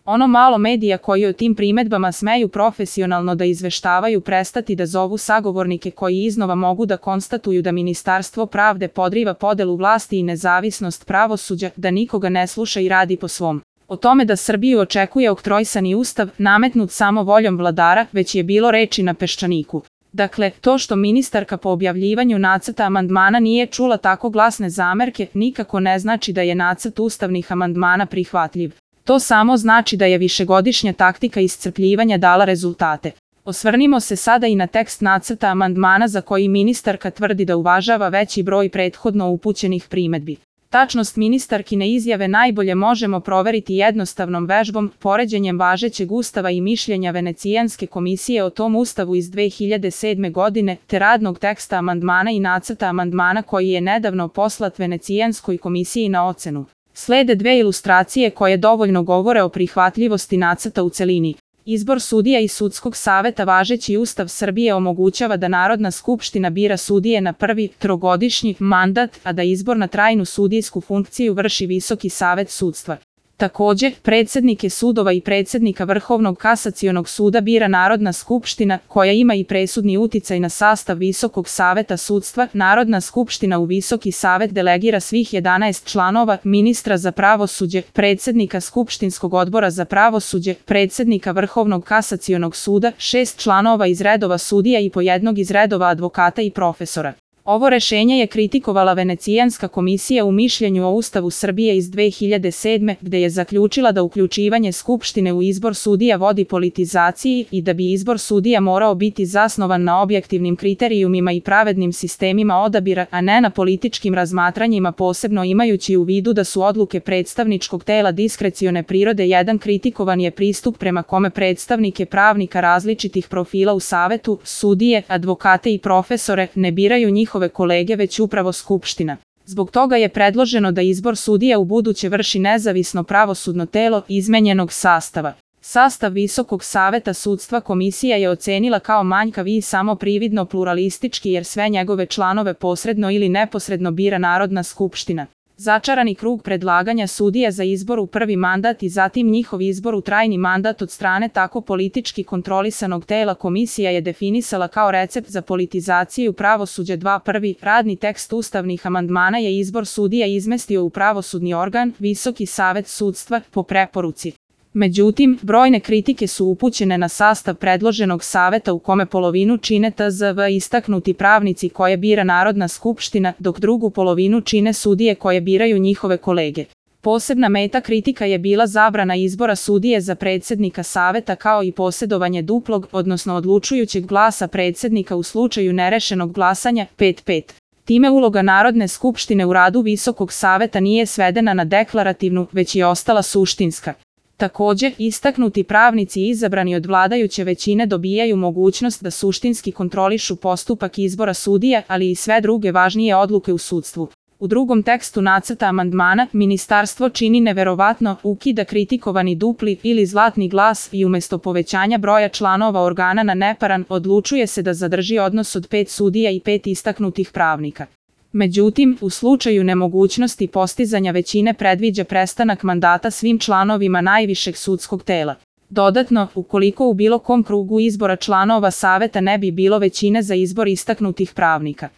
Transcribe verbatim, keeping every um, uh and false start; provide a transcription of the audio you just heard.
Ono malo medija koji o tim primedbama smeju profesionalno da izveštavaju prestati da zovu sagovornike koji iznova mogu da konstatuju da Ministarstvo pravde podriva podelu vlasti i nezavisnost pravosuđa, da nikoga ne sluša i radi po svom. O tome da Srbiju očekuje oktrojsani ustav, nametnut samo voljom vladara, već je bilo reči na Peščaniku. Dakle, to što ministarka po objavljivanju nacrta amandmana nije čula tako glasne zamerke, nikako ne znači da je nacrt ustavnih amandmana prihvatljiv. To samo znači da je višegodišnja taktika iscrpljivanja dala rezultate. Osvrnimo se sada i na tekst nacrta amandmana za koji ministarka tvrdi da uvažava veći broj prethodno upućenih primedbi. Tačnost ministarkine izjave najbolje možemo proveriti jednostavnom vežbom, poređenjem važećeg ustava i mišljenja Venecijanske komisije o tom ustavu iz dve hiljade sedme. godine, te radnog teksta amandmana i nacrta amandmana koji je nedavno poslat Venecijanskoj komisiji na ocenu. Slede dve ilustracije koje dovoljno govore o prihvatljivosti nacrta u celini. Izbor sudija i sudskog saveta. Važeći Ustav Srbije omogućava da Narodna skupština bira sudije na prvi trogodišnji mandat, a da izbor na trajnu sudijsku funkciju vrši Visoki savet sudstva. Takođe, predsednike sudova i predsednika Vrhovnog kasacionog suda bira Narodna skupština, koja ima i presudni uticaj na sastav Visokog saveta sudstva. Narodna skupština u Visoki savet delegira svih jedanaest članova, ministra za pravosuđe, predsednika Skupštinskog odbora za pravosuđe, predsednika Vrhovnog kasacionog suda, šest članova iz redova sudija i po jednog iz redova advokata i profesora. Ovo rešenje je kritikovala Venecijanska komisija u mišljenju o Ustavu Srbije iz dve hiljade sedme. gde je zaključila da uključivanje Skupštine u izbor sudija vodi politizaciji i da bi izbor sudija morao biti zasnovan na objektivnim kriterijumima i pravednim sistemima odabira, a ne na političkim razmatranjima, posebno imajući u vidu da su odluke predstavničkog tela diskrecione prirode. Jedan kritikovan je pristup prema kome predstavnike pravnika različitih profila u savetu, sudije, advokate i profesore, ne biraju njih njihove kolege već upravo Skupština. Zbog toga je predloženo da izbor sudija u buduće vrši nezavisno pravosudno telo izmenjenog sastava. Sastav Visokog saveta sudstva komisija je ocenila kao manjkav i samo prividno pluralistički jer sve njegove članove posredno ili neposredno bira Narodna skupština. Začarani krug predlaganja sudija za izbor u prvi mandat i zatim njihov izbor u trajni mandat od strane tako politički kontrolisanog tela komisija je definisala kao recept za politizaciju pravosuđa. Dva Prvi radni tekst ustavnih amandmana je izbor sudija izmestio u pravosudni organ, Visoki savet sudstva, po preporuci. Međutim, brojne kritike su upućene na sastav predloženog saveta u kome polovinu čine T Z V istaknuti pravnici koje bira Narodna skupština, dok drugu polovinu čine sudije koje biraju njihove kolege. Posebna meta kritika je bila zabrana izbora sudije za predsednika saveta kao i posjedovanje duplog, odnosno odlučujućeg glasa predsednika u slučaju nerešenog glasanja pet pet. Time uloga Narodne skupštine u radu Visokog saveta nije svedena na deklarativnu, već je ostala suštinska. Takođe, istaknuti pravnici izabrani od vladajuće većine dobijaju mogućnost da suštinski kontrolišu postupak izbora sudija, ali i sve druge važnije odluke u sudstvu. U drugom tekstu nacrta amandmana, ministarstvo čini neverovatno, ukida kritikovani dupli ili zlatni glas i umesto povećanja broja članova organa na neparan, odlučuje se da zadrži odnos od pet sudija i pet istaknutih pravnika. Međutim, u slučaju nemogućnosti postizanja većine predviđa prestanak mandata svim članovima najvišeg sudskog tela. Dodatno, ukoliko u bilo kom krugu izbora članova saveta ne bi bilo većine za izbor istaknutih pravnika,